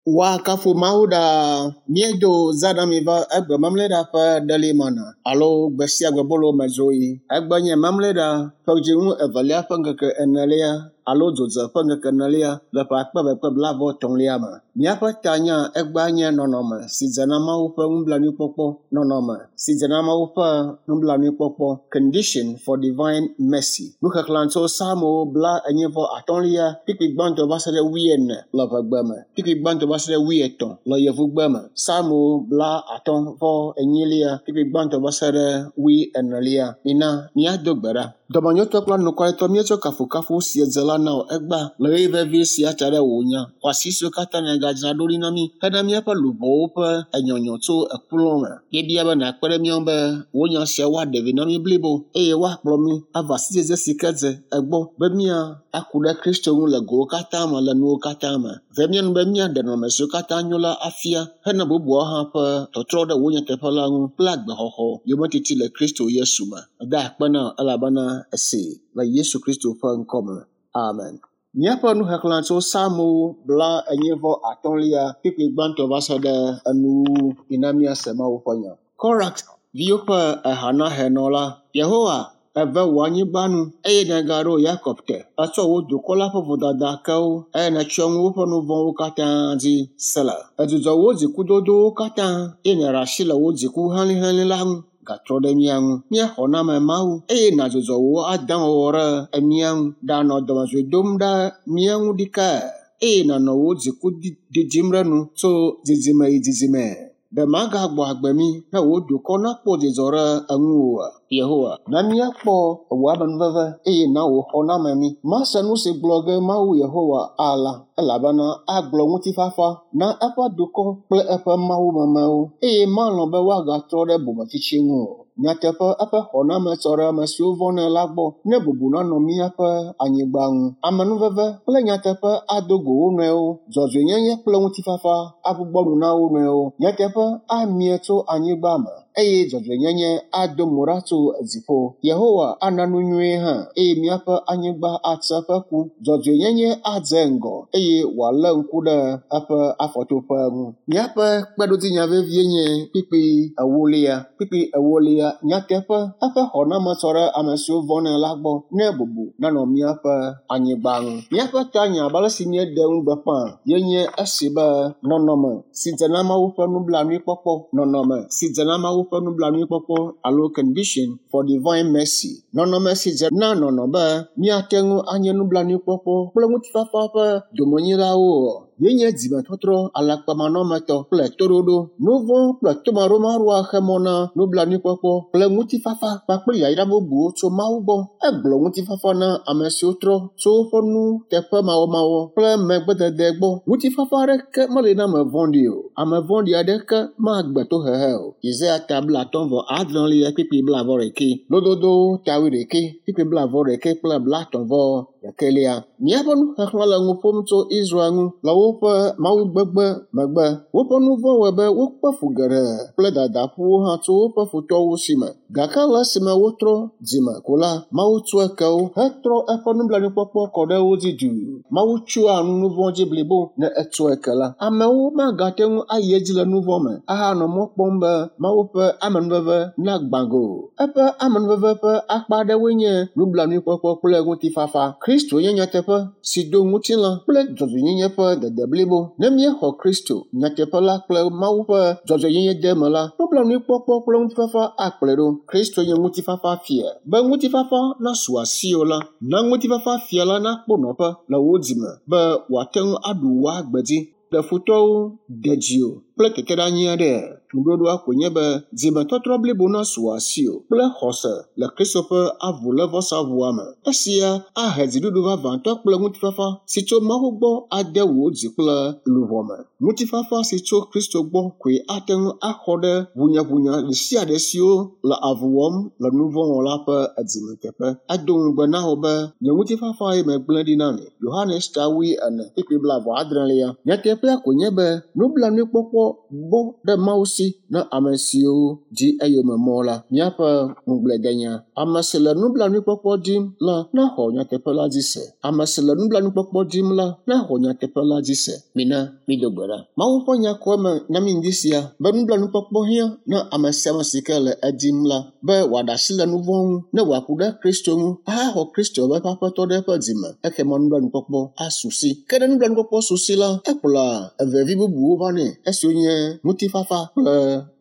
Woakafu Mawu ɖaa. Míedo zã na mi va egbe Memleɖa ƒe ɖelimana alo gbe sia gbe bolo me dzoɣi. Egbe nye Memleɖa ƒe dzinu evelia ƒe ŋkeke enelia alo dzodze ƒe ŋkeke enelia le ƒe akpe eve kple blaeve-etɔ̃lia me. Míaƒe tanya egbea nye nɔnɔme si dze na Mawu ƒe nublanuikpɔkpɔ. Nɔnɔme si dze na Mawu ƒe nublanuikpɔkpɔ. Condition for divine mercy. Nuxexlẽ tso Psalmo bla enyi vɔ atɔ̃lia kpukpui gbãtɔ va se ɖe wuiene le ʋegbe me. Kpukpui gbãtɔ va se ɖe wuietɔ̃ le yevugbe me. Psalmo bla atɔ̃ vɔ enyilia kpukpui gbãtɔ va se ɖe wuienelia. Mina míado gbe ɖa. Dɔmenyotɔ kple anukwaretɔ míetsɔ kafukafu si dze la na wò egbea le ɣeyiɣi vevi sia ta ɖe wò nya xɔasi siwo katã nègadzra ɖo ɖi na mí hena míaƒe luʋɔwo ƒe enyɔnyɔ tso ekplɔ me. Míebia be nàkpe ɖe mía ŋu be wò nya sia woaɖe vi na mí blibo eye woakplɔ mí ava sidzedze si ke dze egbɔ be mía aku ɖe Kristo ŋu le gowo katã me le nuwo katã me. Ve mía nu be míaɖe nɔnɔme siwo katã nyo la afia hena bubuawo hã ƒe tɔtrɔ ɖe wò nyateƒe la ŋu kple agbexɔxɔ yometiti le Kristo Yesu me. Meda akpe na wò elabena esee le Yesu Kristo ƒe ŋkɔ me. Amen. Míaƒe nuxexlẽ tso Psalmo bla enyi vɔ atɔ̃lia kpukpui gbãtɔ va se ɖe enuwuwu. Mina míase Mawu ƒe nya. Korax viwo ƒe ehanahenɔ la, Yehowa, eve wò anyigba nu eye nègaɖo Yakob te. Ètsɔ wò dukɔ la ƒe vodada ke wo eye nètsyɔ nu woƒe nu vɔ̃wo katã dzi. Sela. Èdzudzɔ wò dzikudodowo katã eye nèɖe asi le wò dziku helĩhelĩ la ŋu. Gatrɔ ɖe mía ŋu. Mía xɔname Mawu eye nàdzudzɔ wò adãwɔwɔ ɖe mía ŋu. Ɖanɔ dɔmedzoe dom ɖe mía ŋu ɖikae eye nànɔ wò dziku didim ɖe nu tso dzidzime yi dzidzime. Ɖe magagbɔ agbe mí ne wò dukɔ nakpɔ dzidzɔ ɖe eŋu oa? Yehowa, na míakpɔ wò amenuveve eye na wò xɔname mí. Mase nu si gblɔ ge Mawu Yehowa ala elabena agblɔ ŋutifafa na eƒe dukɔ kple eƒe mawumemewo eye malɔ̃ be woagatrɔ ɖe bometsitsi ŋu o. Nyateƒe eƒe xɔname tsɔ ɖe ame siwo vɔ̃nɛ la gbɔ ne bubu nanɔ míaƒe anyigba ŋu. Amenuveve kple nyateƒe ado go wo nɔewo. Dzɔdzɔenyenye kple ŋutifafa agbugbɔ nu na wo nɔewo. Nyateƒe amie tso anyigba me eye dzɔdzɔenyenye ado mo ɖa tso dziƒo. Yehowa ana nu nyuie hã eye míaƒe anyigba atse eƒe ku. Dzɔdzɔenyenye adze ŋgɔ eye wòalé ŋku ɖe eƒe afɔtoƒe ŋu. Míaƒe kpeɖodzinya vevie nye kpukpui ewolia. Kpukpui ewolia nyateƒe eƒe xɔname tsɔ ɖe ame siwo vɔ̃nɛ la gbɔ ne bubu nanɔ míaƒe anyigba ŋu. Míaƒe tanya abe ale si míeɖe ŋugbe ƒã ye nye esi be nɔnɔme si dze na Mawu ƒe nublanuikpɔkpɔ. Nɔnɔme si dze na Mawu ƒe nublanuikpɔkpɔ alo condition for divine mercy. Nɔnɔme si dze na nɔnɔ be míate ŋu anye nublanuikpɔkpɔ kple ŋutifafa ƒe domenyilawo ye nye dzimetɔtrɔ alakpamanɔmetɔ kple toɖoɖo. Nu vɔ̃ kple tomaɖomaɖoa xe mɔ na nublanuikpɔkpɔ kple ŋutifafa kpakple yayra bubuwo tso Mawu gbɔ. Egblɔ ŋutifafa na ame siwo trɔ tso woƒe nuteƒemawɔmawɔ kple megbedede gbɔ. Ŋutifafa aɖeke meli na ame vɔ̃ɖi o. Ame vɔ̃ɖi aɖeke magbe tohehe o. Yesaya ta blatɔ̃ vɔ adrelia kpukpui blaeve ɖekɛ. Lododowo ta wuiɖekɛ kpukpui blaeve ɖekɛ kple blatɔ̃ vɔ ɖekɛlia. Míaƒe nuxexlẽ le nu ƒom tso Israel ŋu le woƒe mawugbegbe megbe. Woƒe nu vɔ̃ wɔe be wokpe fu geɖe kple dadaƒuwo hã tso woƒe futɔwo si me. Gake le esime wotrɔ dzime ko la, Mawu tsɔe ke wo hetrɔ eƒe nublanuikpɔkpɔ kɔ ɖe wo dzi duu. Mawu tsyɔa nu nu vɔ̃ dzi blibo ne etsɔe ke la. Amewo magate ŋu ayi edzi le nu vɔ̃ me ahanɔ mɔ kpɔm be Mawu ƒe amenuveve nagbã go o. Eƒe amenuveve ƒe akpa aɖewoe nye nublanuikpɔkpɔ kple ŋutifafa. Kristo nye nyateƒe si do ŋutilã kple dzɔdzɔenyenye ƒe dede blibo. Ne míexɔ Kristo, nyateƒe la kple Mawu ƒe dzɔdzɔenyenye de eme la, nublanuikpɔkpɔ kple ŋutifafa akplɔe ɖo. Kristo nye ŋutifafa fia. Be ŋutifafa nasu asiwò la, na ŋutifafa fia la nakpɔ nɔƒe le wò dzime be wòate ŋu aɖu wò agbe dzi. Ɖe futɔwo, de dziwò kple teteɖeanyi aɖea? Ŋuɖoɖoa koe nye be dzimetɔtrɔ blibo nasu asiwò kple xɔse le Kristo ƒe avulévɔsaʋua me. Esia ahe dziɖuɖu vavãtɔ kple ŋutifafa si tso Mawu gbɔ ade wò dzi kple luʋɔ me. Ŋutifafa si tso Kristo gbɔ koe ate ŋu axɔ ɖe ʋunyaʋunya ɖe sia ɖe siwo le avu wɔm le nu vɔ̃ wɔla ƒe dzime teƒe. Edo ŋugbe na wò be, nye ŋutifafa ye megblẽ ɖi na mi. Yohanes ta wuiene kpukpui blaeve adrelia. Nyateƒea koe nye be nublanuikpɔkpɔ bɔ ɖe Mawu si na ame siwo di eyome mɔ la. Míaƒe ŋugbledenya. Ame si le nublanuikpɔkpɔ dim la naxɔ nyateƒe la dzi se. Ame si le nublanuikpɔkpɔ dim la naxɔ nyateƒe la dzi se. Mina mído gbe ɖa. Mawu ƒe nya kɔ eme na mí ŋdi sia be nublanuikpɔkpɔ hiã na ame sia ame si ke le edim la be wòaɖe asi le nu vɔ̃ ŋu ne wòaku ɖe Kristo ŋu ahaxɔ Kristo be eƒe aƒetɔ ɖe eƒe dzime. Ekema nublanuikpɔkpɔ asu si. Ke ne nublanuikpɔkpɔ su si la, ekplɔa evevi bubuwo vanɛ esiwo nye ŋutifafa kple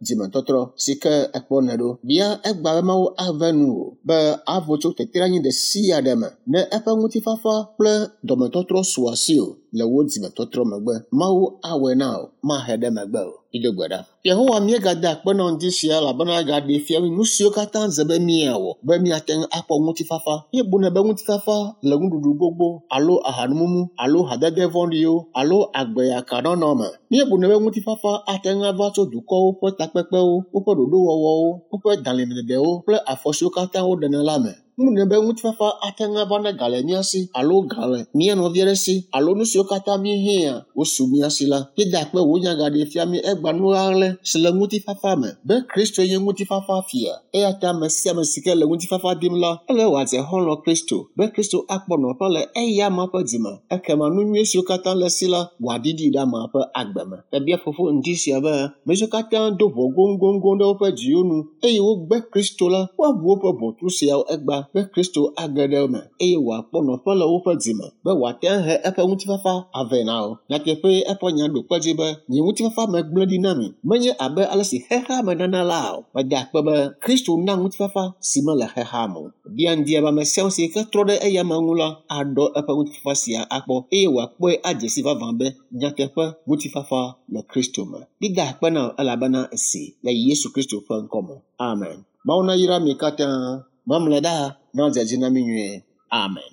dzimetɔtrɔ si ke ekpɔnɛ ɖo. Bia egbea be Mawu ave nuwò be avo tso teteɖeanyi ɖe sia ɖe me ne eƒe ŋutifafa kple dɔmetɔtrɔ su asiwò le wò dzimetɔtrɔ megbe. Mawu awɔe na wò, mahe ɖe megbe o. Mido gbe ɖa. Yehowa míegada akpe na ŋdi sia elabena egaɖee fia mí nu siwo katã dze be míawɔ be míate ŋu akpɔ ŋutifafa. Míebunɛ be ŋutifafa le nuɖuɖu gbogbo alo ahanumumu alo hadede vɔ̃ɖiwo alo agbeyakanɔnɔ me. Míebunɛ be ŋutifafa ate ŋu ava tso dukɔwo ƒe takpekpewo, woƒe ɖoɖowɔwɔwo, woƒe dalĩdedewo kple afɔ siwo katã woɖena la me. Míebunɛ be ŋutifafa ate ŋu ava ne ga le mía si alo ga le mía nɔvi aɖe si alo nu siwo katã míehiã wosu mía si la. Míeda akpe wò nya gaɖee fia mí egbea nu ɣaɣlɛ si le ŋutifafa me be Kristoe nye ŋutifafa fia. Eya ta ame sia ame si ke le ŋutifafa dim la, ele be wòadze xɔlɔ̃ Kristo be Kristo akpɔ nɔƒe le eya amea ƒe dzime. Ekema nu nyui siwo katã le esi la, wòaɖiɖi ɖe amea ƒe agbe me. Mebia Fofo ŋdi sia be ame siwo katã do ʋɔ goŋgoŋgoŋ ɖe woƒe dziwo nu eye wogbe Kristo la, woaʋu woƒe ʋɔtru siawo egbea be Kristo age ɖe eme eye wòakpɔ nɔƒe le woƒe dzime be wòate ŋu ahe eƒe ŋutifafa avɛ na wo. Nyateƒee eƒe nya ɖo kpe edzi be, nye ŋutifafa megblẽ ɖi na mi, menye abe ale si xexea me nana la o. Meda akpe be Kristo na ŋutifafa si mele xexea me o. Bia ŋdi be ame sia ame si ke trɔ ɖe eya amea ŋu la aɖɔ eƒe ŋutifafa sia akpɔ eye wòakpɔe adze si vavã be nyateƒe ŋutifafa le Kristo me. Mída akpe na wò elabena èsee le Yesu Kristo ƒe ŋkɔ me. Amen. Mawu nayra mi katã. Mamlɛ ɖa nadze edzi na mí nyuie. Amen.